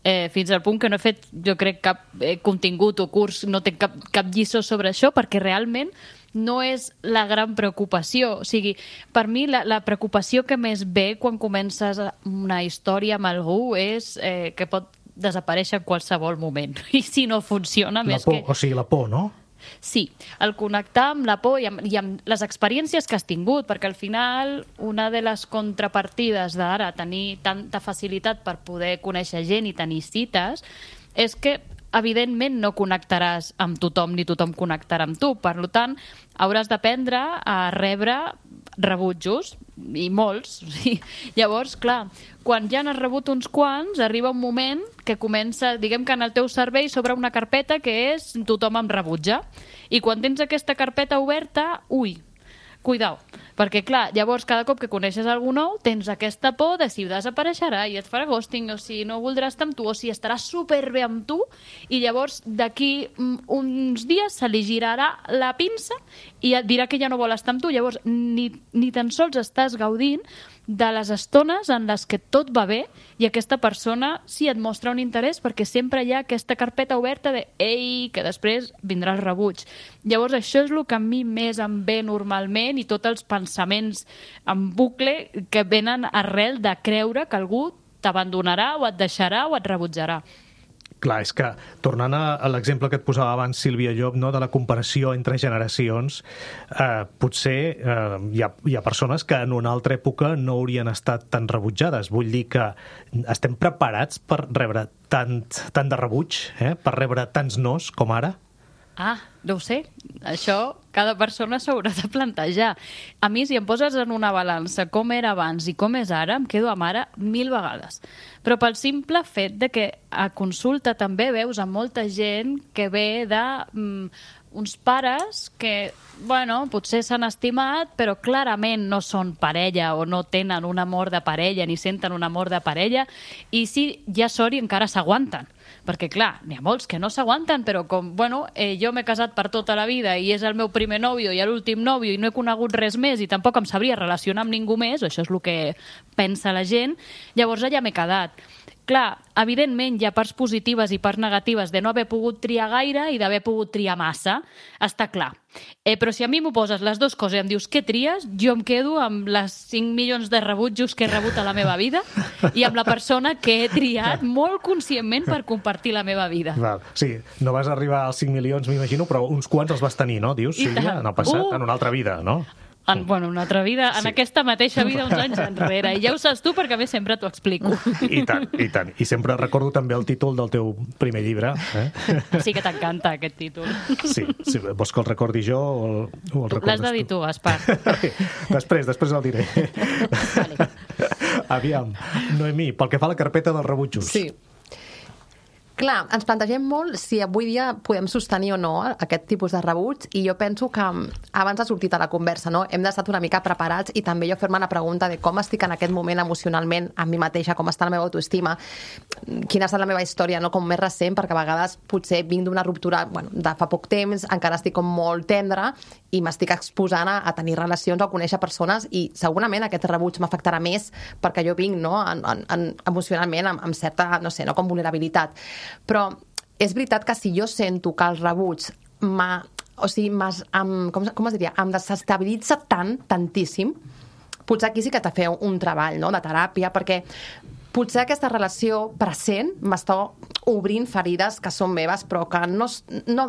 Fins al punt que no he fet, jo crec, cap contingut o curs, no tinc cap lliçó sobre això, perquè realment no és la gran preocupació. O sigui, per mi la preocupació que més ve quan comences una història amb algú és que pot desaparèixer en qualsevol moment. I si no funciona, més que... O sigui, la por, no? Sí, el connectar amb la por i amb les experiències que has tingut, perquè al final una de les contrapartides d'ara tenir tanta facilitat per poder conèixer gent i tenir cites és que evidentment no connectaràs amb tothom ni tothom connectarà amb tu. Per tant, hauràs d'aprendre a rebre rebutjos, i molts. Llavors, clar, quan ja n'has rebut uns quants, arriba un moment que comença, diguem que en el teu cervell s'obre una carpeta que és tothom em rebutja. I quan tens aquesta carpeta oberta, cuidao, perquè clar, llavors cada cop que coneixes algú nou tens aquesta por de si desapareixerà i et farà ghosting, o si no voldrà estar amb tu, o si estarà superbé amb tu, i llavors d'aquí uns dies se li girarà la pinça i et dirà que ja no vol estar amb tu. Llavors ni tan sols estàs gaudint de les estones en les que tot va bé i aquesta persona sí et mostra un interès, perquè sempre hi ha aquesta carpeta oberta de ei, que després vindrà el rebuig. Llavors això és el que a mi més em ve normalment, i tots els pensaments en bucle que venen arrel de creure que algú t'abandonarà o et deixarà o et rebutjarà. Clar, és que, tornant a l'exemple que et posava abans, Sílvia Llop, no, de la comparació entre generacions, potser hi ha persones que en una altra època no haurien estat tan rebutjades. Vull dir que estem preparats per rebre tant de rebuig, per rebre tants nos com ara? No ho sé. Això cada persona s'haurà de plantejar. A mi, si em poses en una balança com era abans i com és ara, em quedo amb ara 1000 vegades. Però pel simple fet de que a consulta també veus a molta gent que ve de uns pares que, bueno, potser s'han estimat, però clarament no són parella o no tenen un amor de parella ni senten un amor de parella, i si ja sort i encara s'aguanten. Perquè, clar, n'hi ha molts que no s'aguanten, però com, bueno, jo m'he casat per tota la vida i és el meu primer nòvio i l'últim nòvio i no he conegut res més i tampoc em sabria relacionar amb ningú més, això és el que pensa la gent, llavors allà m'he quedat. Clar, evidentment hi ha parts positives i parts negatives de no haver pogut triar gaire i d'haver pogut triar massa, està clar. Però si a mi m'ho poses les dues coses i em dius què tries, jo em quedo amb les 5 milions de rebutjos que he rebut a la meva vida i amb la persona que he triat molt conscientment per compartir la meva vida. Val. Sí, no vas arribar als 5 milions, m'imagino, però uns quants els vas tenir, no? Dius, Sílvia, en el passat, en una altra vida, no? En una altra vida, en aquesta mateixa vida uns anys enrere. I ja ho saps tu perquè a més sempre t'ho explico. I tant, i tant. I sempre recordo també el títol del teu primer llibre. Sí que t'encanta aquest títol. Sí. Vols que el recordi jo o el recordes tu? L'has de dir tu, Gaspar. Després el diré. Vale. Aviam, Noemí, pel que fa a la carpeta dels rebutjos. Sí. Clar, ens plantegem molt si avui dia podem sostenir o no aquest tipus de rebuig, i jo penso que abans ha sortit a la conversa, no? Hem d'estar una mica preparats i també jo fer-me la pregunta de com estic en aquest moment emocionalment amb mi mateixa, com està la meva autoestima, quina ha estat la meva història, no? Com més recent, perquè a vegades potser vinc d'una ruptura de fa poc temps, encara estic com molt tendra i m'estic exposant a tenir relacions o a conèixer persones, i segurament aquest rebuig m'afectarà més perquè jo vinc, no? Emocionalment amb certa, no sé, no, com vulnerabilitat. Però és veritat que si jo sento que el rebuig com es diria? Em desestabilitza tantíssim. Potser aquí sí que t'ha de fer un treball, no?, de teràpia, perquè potser aquesta relació present m'està obrint ferides que són meves però que no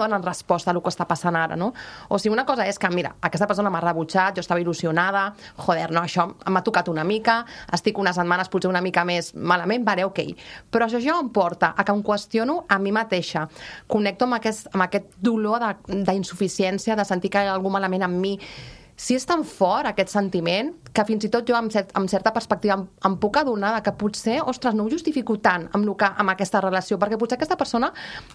donen resposta a el que està passant ara, no? O sigui, una cosa és que, mira, aquesta persona m'ha rebutjat, jo estava il·lusionada, joder, no, això m'ha tocat una mica, estic unes setmanes potser una mica més malament, vale, ok. Però això em porta a que em qüestiono a mi mateixa, connecto amb aquest dolor d'insuficiència, de sentir que hi ha algú malament amb mi. Si és tan fort aquest sentiment que fins i tot jo amb certa perspectiva em puc adonar que potser, ostres, no ho justifico tant amb aquesta relació, perquè potser aquesta persona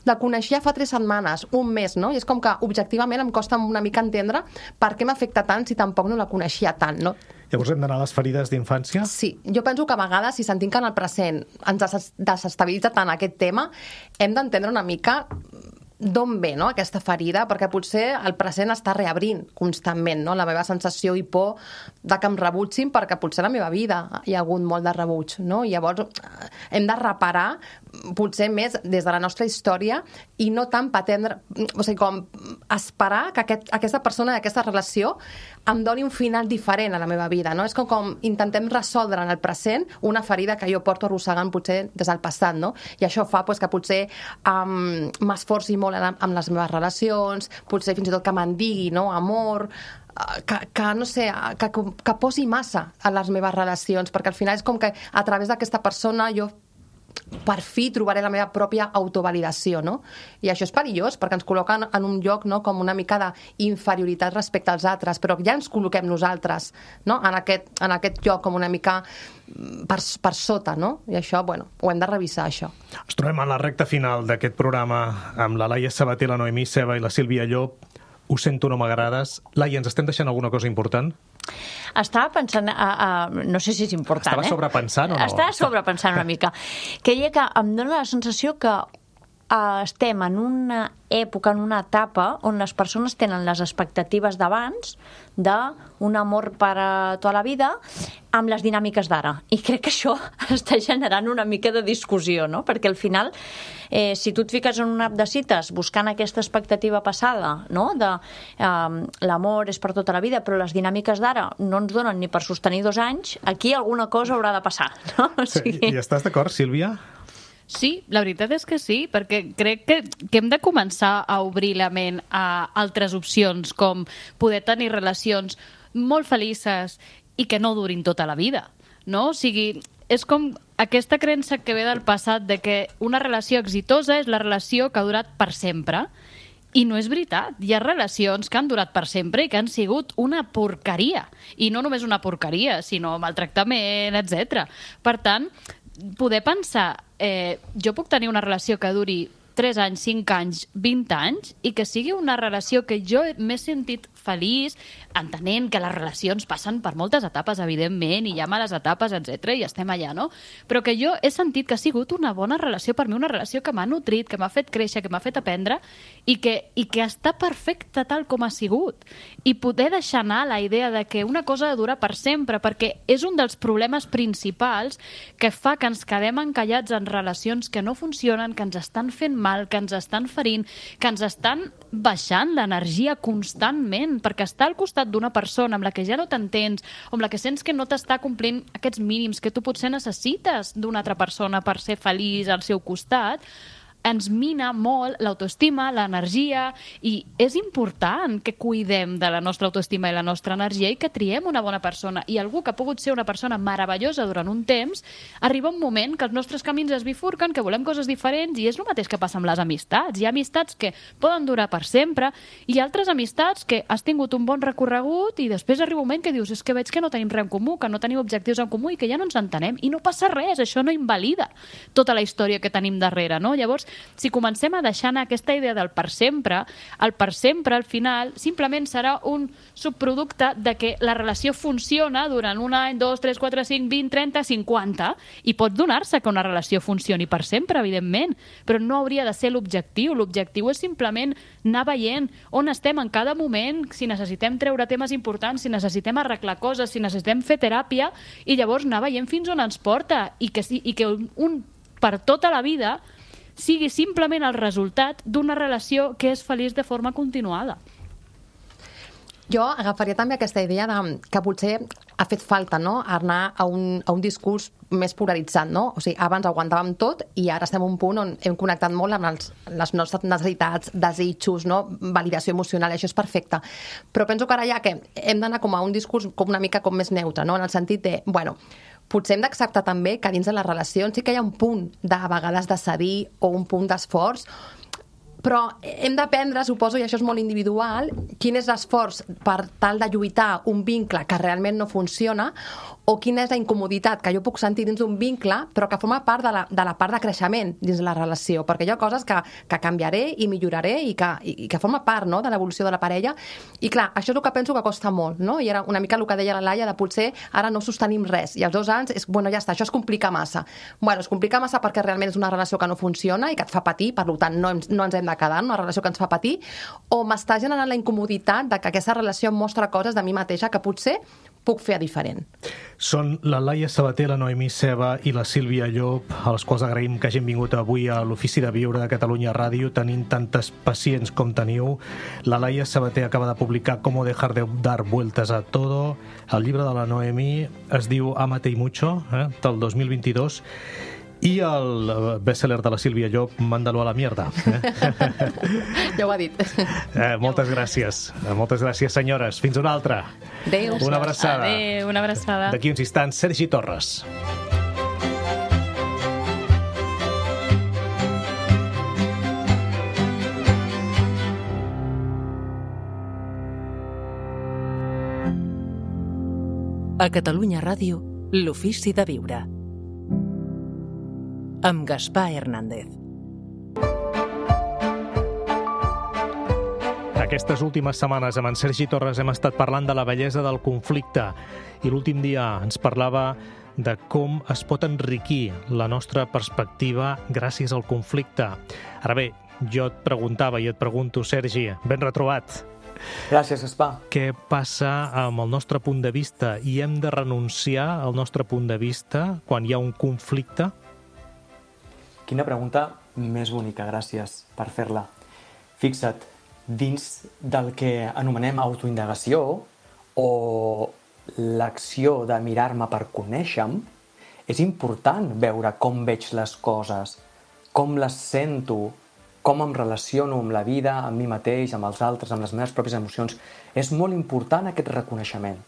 la coneixia fa 3 setmanes, un mes, no? I és com que objectivament em costa una mica entendre per què m'afecta tant si tampoc no la coneixia tant, no? Llavors hem d'anar a les ferides d'infància? Sí, jo penso que a vegades, si sentim que en el present ens desestabilitza tant aquest tema, hem d'entendre una mica d'on ve, no?, aquesta ferida, perquè potser el present està reabrint constantment, no?, la meva sensació i por de que em rebutgin, perquè potser a la meva vida hi ha hagut molt de rebuig, no? I llavors hem de reparar potser més des de la nostra història i no tant pretendre, o sigui, com esperar que aquesta persona i aquesta relació em doni un final diferent a la meva vida, no? És com intentem resoldre en el present una ferida que jo porto arrossegant potser des del passat, no? I això fa que potser m'esforci molt amb les meves relacions, potser fins i tot que me'n digui, no?, amor, que no sé, que posi massa a les meves relacions, perquè al final és com que a través d'aquesta persona jo per fi trobaré la meva pròpia autovalidació, no? I això és perillós, perquè ens col·loquen en un lloc, no?, com una mica d'inferioritat respecte als altres, però ja ens col·loquem nosaltres, no?, en aquest lloc com una mica per sota, no? I això, bueno, ho hem de revisar, això. Ens trobem a la recta final d'aquest programa amb la Laia Sabater, la Noemí Ceba i la Sílvia Llop. Ho sento, no m'agrades. Laia, ens estem deixant alguna cosa important? Estava pensant, no sé si és important, Estava sobrepensant o no? Estava sobrepensant una mica. Que em dóna la sensació que estem en una època, en una etapa on les persones tenen les expectatives d'abans d'un amor per a tota la vida amb les dinàmiques d'ara. I crec que això està generant una mica de discussió, no? Perquè al final, si tu et fiques en una app de cites buscant aquesta expectativa passada, no?, de l'amor és per tota la vida, però les dinàmiques d'ara no ens donen ni per sostenir 2 anys, aquí alguna cosa haurà de passar, no? O sigui... I estàs d'acord, Sílvia? Sí, la veritat és que sí, perquè crec que hem de començar a obrir la ment a altres opcions, com poder tenir relacions molt felices i que no durin tota la vida, no? O sigui, és com aquesta creença que ve del passat de que una relació exitosa és la relació que ha durat per sempre. I no és veritat. Hi ha relacions que han durat per sempre i que han sigut una porqueria. I no només una porqueria, sinó maltractament, etc. Per tant, poder pensar, jo puc tenir una relació que duri 3 anys, 5 anys, 20 anys, i que sigui una relació que jo m'he sentit feliç, entenent que les relacions passen per moltes etapes, evidentment, i hi ha males etapes, etc, i estem allà, no? Però que jo he sentit que ha sigut una bona relació per mi, una relació que m'ha nutrit, que m'ha fet créixer, que m'ha fet aprendre, i que està perfecta tal com ha sigut. I poder deixar anar la idea de que una cosa ha de durar per sempre, perquè és un dels problemes principals que fa que ens quedem encallats en relacions que no funcionen, que ens estan fent mal, que ens estan ferint, que ens estan baixant l'energia constantment, perquè estar al costat d'una persona amb la que ja no t'entens, o amb la que sents que no t'està complint aquests mínims que tu potser necessites d'una altra persona per ser feliç al seu costat, ens mina molt l'autoestima, l'energia, i és important que cuidem de la nostra autoestima i la nostra energia i que triem una bona persona. I algú que ha pogut ser una persona meravellosa durant un temps, arriba un moment que els nostres camins es bifurquen, que volem coses diferents, i és el mateix que passa amb les amistats. Hi ha amistats que poden durar per sempre, i altres amistats que has tingut un bon recorregut i després arriba un moment que dius, és que veig que no tenim res en comú, que no tenim objectius en comú i que ja no ens entenem, i no passa res, això no invalida tota la història que tenim darrere, no? Llavors, si comencem a deixar anar aquesta idea del per sempre, el per sempre, al final, simplement serà un subproducte de que la relació funciona durant 1 any, 2, 3, 4, 5, 20, 30, 50, i pot donar-se que una relació funcioni per sempre, evidentment, però no hauria de ser l'objectiu. L'objectiu és simplement anar veient on estem en cada moment, si necessitem treure temes importants, si necessitem arreglar coses, si necessitem fer teràpia, i llavors anar veient fins on ens porta, i que un per tota la vida sigui simplement el resultat d'una relació que és feliç de forma continuada. Jo agafaria també aquesta idea que potser ha fet falta, no?, anar a un discurs més polaritzat, no? O sigui, abans aguantàvem tot i ara estem a un punt on hem connectat molt amb les nostres necessitats, desitjos, no?, validació emocional, i això és perfecte. Però penso que ara ja que hem d'anar com a un discurs com una mica com més neutre, no?, en el sentit de, bueno, potser hem d'acceptar també que dins de les relacions sí que hi ha un punt de vegades de cedir o un punt d'esforç, però hem d'aprendre, suposo, i això és molt individual, quin és l'esforç per tal de lluitar un vincle que realment no funciona, o quina és la incomoditat que jo puc sentir dins d'un vincle, però que forma part de la part de creixement dins la relació, perquè hi ha coses que canviaré i milloraré i que forma part, no?, de l'evolució de la parella. I clar, això és el que penso que costa molt, no? I era una mica el que deia la Laia, de potser ara no sostenim res, i als 2 anys és, bueno, ja està, això es complica massa. Bueno, es complica massa perquè realment és una relació que no funciona i que et fa patir, per tant no ens hem de quedar en una relació que ens fa patir, o m'està generant la incomoditat de que aquesta relació em mostra coses de mi mateixa que potser puc fer diferent. Són la Laia Sabater, la Noemí Ceba i la Sílvia Llop, a les quals agraïm que hagin vingut avui a l'Ofici de Viure de Catalunya Ràdio, tenint tantes pacients com teniu. La Laia Sabater acaba de publicar Cómo dejar de dar vueltas a todo. El llibre de la Noemí es diu Ámate y mucho, del 2022. I el best-seller de la Sílvia Llop, Mándalo a la mierda. Ja ho ha dit. Moltes gràcies. Moltes gràcies, senyores. Fins una altra. Adéu. Una abraçada. Adéu, una abraçada. D'aquí uns instants, Sergi Torres. A Catalunya Ràdio, l'Ofici de Viure. Amb Gaspar Hernández. Aquestes últimes setmanes amb en Sergi Torres hem estat parlant de la bellesa del conflicte i l'últim dia ens parlava de com es pot enriquir la nostra perspectiva gràcies al conflicte. Ara bé, jo et preguntava i et pregunto, Sergi, ben retrobat. Gràcies, Gaspar. Què passa amb el nostre punt de vista i hem de renunciar al nostre punt de vista quan hi ha un conflicte? Quina pregunta més bonica, gràcies per fer-la. Fixa't, dins del que anomenem autoindagació o l'acció de mirar-me per conèixer-me, és important veure com veig les coses, com les sento, com em relaciono amb la vida, amb mi mateix, amb els altres, amb les meves pròpies emocions. És molt important aquest reconeixement.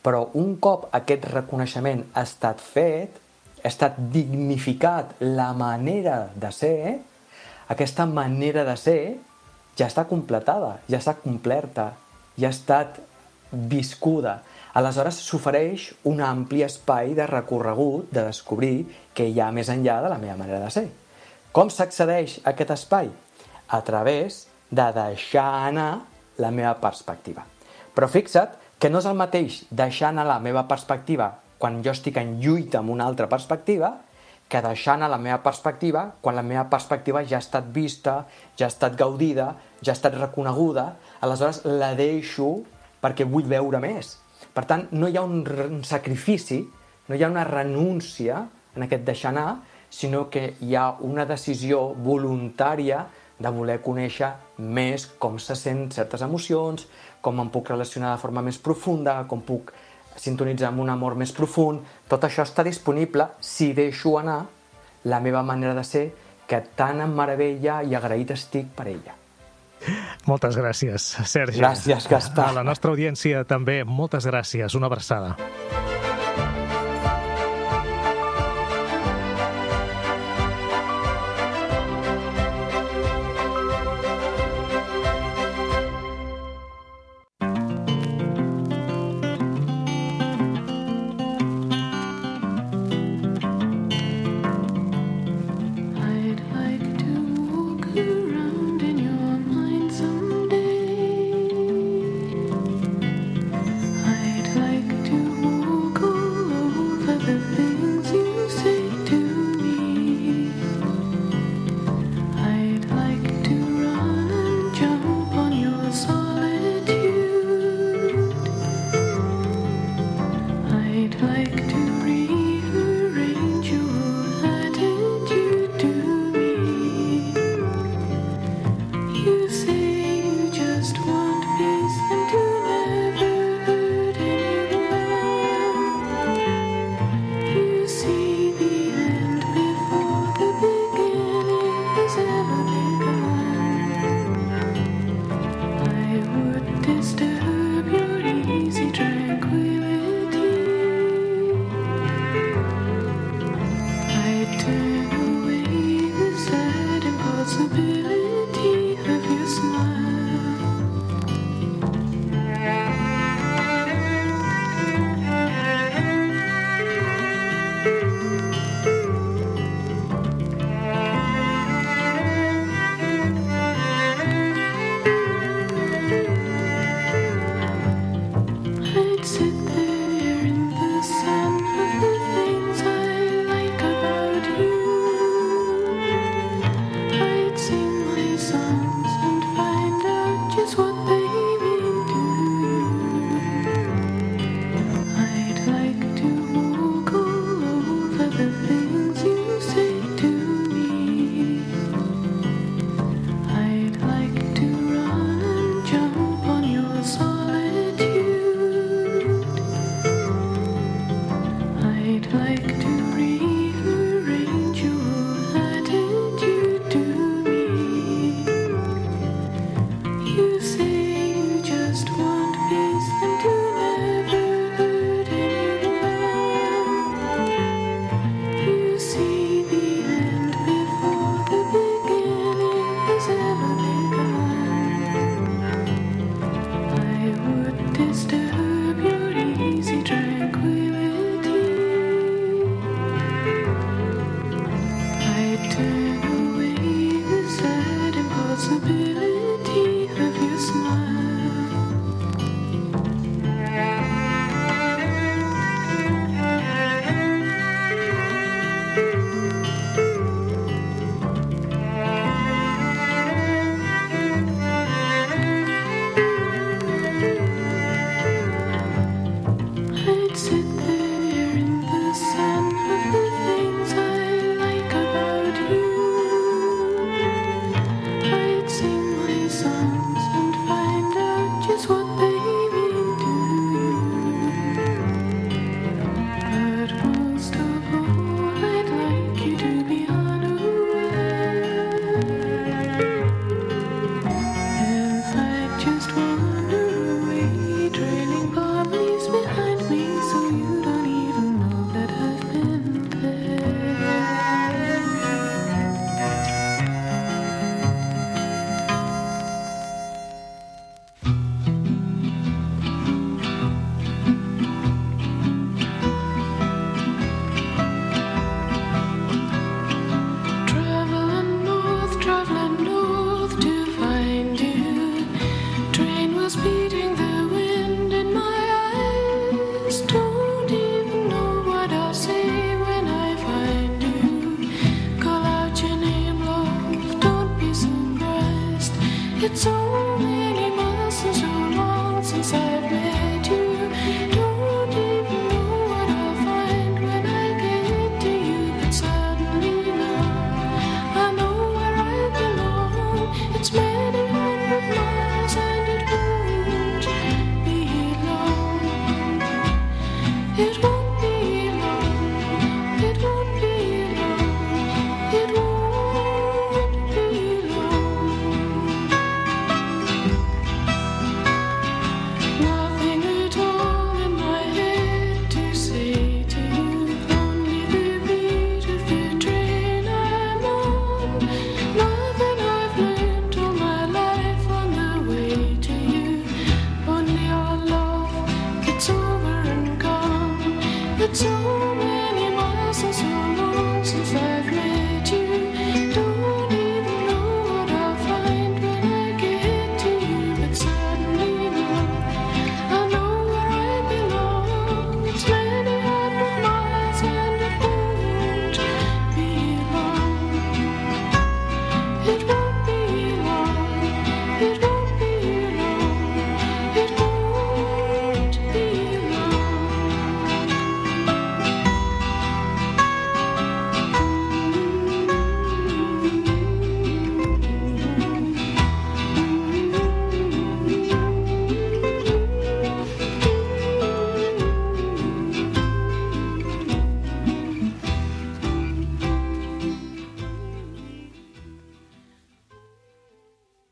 Però un cop aquest reconeixement ha estat fet, ha estat dignificat la manera de ser, aquesta manera de ser ja està completada, ja està complerta, ja ha estat viscuda. Aleshores s'ofereix un ampli espai de recorregut, de descobrir què hi ha més enllà de la meva manera de ser. Com s'accedeix a aquest espai? A través de deixar anar la meva perspectiva. Però fixa't que no és el mateix deixar anar la meva perspectiva quan jo estic en lluita amb una altra perspectiva, que deixar anar la meva perspectiva quan la meva perspectiva ja ha estat vista, ja ha estat gaudida, ja ha estat reconeguda, aleshores la deixo perquè vull veure més. Per tant, no hi ha un sacrifici, no hi ha una renúncia en aquest deixar anar, sinó que hi ha una decisió voluntària de voler conèixer més com se sent certes emocions, com em puc relacionar de forma més profunda, com puc sintonitzar amb un amor més profund. Tot això està disponible si deixo anar la meva manera de ser, que tan em meravella i agraït estic per ella. Moltes gràcies, Sergi. Gràcies, Gaspar. A la nostra audiència també, moltes gràcies. Una abraçada. I'd like to disturb your easy tranquility. I turn away the sad impossibility of your smile. I'd sit there in the sun of the things I like about you. I'd sing my songs and find out just what they mean to you. But most of all, I'd like you to be unaware. And I'd just wander away, trailing palm leaves behind me, so you don't even know that I've been there. Traveling north to find you. Train was beating the wind in my eyes. Don't even know what I'll say when I find you. Call out your name, love, don't be surprised. It's so many months and so long since I've met